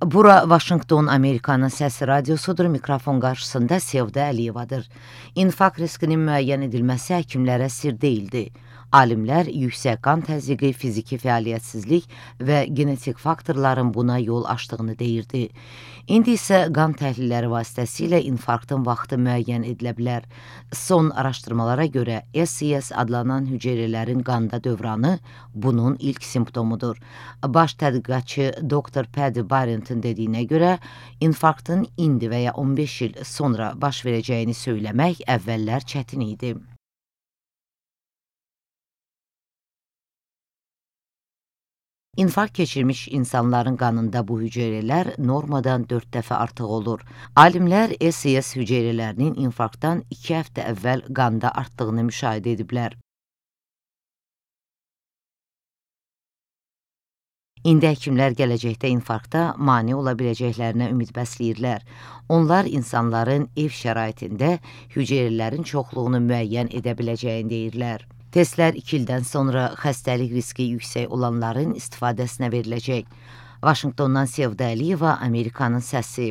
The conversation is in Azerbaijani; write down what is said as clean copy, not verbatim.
Bura Vaşinqton, Amerikanın səsi radiosudur. Mikrofon qarşısında Sevda Əliyevadır. İnfarkt riskinin müəyyən edilməsi həkimlərə sir deyildi. Alimlər yüksək qan təzyiqi, fiziki fəaliyyətsizlik və genetik faktorların buna yol açdığını deyirdi. İndi isə qan təhlilləri vasitəsilə infarktın vaxtı müəyyən edilə bilər. Son araşdırmalara görə SCS adlanan hüceyrələrin qanda dövranı bunun ilk simptomudur. Baş tədqiqatçı Dr. Paddy Barrington dediyinə görə, infarktın indi və ya 15 il sonra baş verəcəyini söyləmək əvvəllər çətin idi. İnfarkt keçirmiş insanların qanında bu hüceyrələr normadan 4 dəfə artıq olur. Alimlər SCS hüceyrələrinin infarktdan 2 həftə əvvəl qanda artdığını müşahidə ediblər. İndi həkimlər gələcəkdə infarkta mane ola biləcəklərinə ümid bəsləyirlər. Onlar insanların ev şəraitində hüceyrələrin çoxluğunu müəyyən edə biləcəyini deyirlər. Testlər 2 ildən sonra xəstəlik riski yüksək olanların istifadəsinə veriləcək. Vaşinqtondan Sevda Əliyeva, Amerikanın səsi.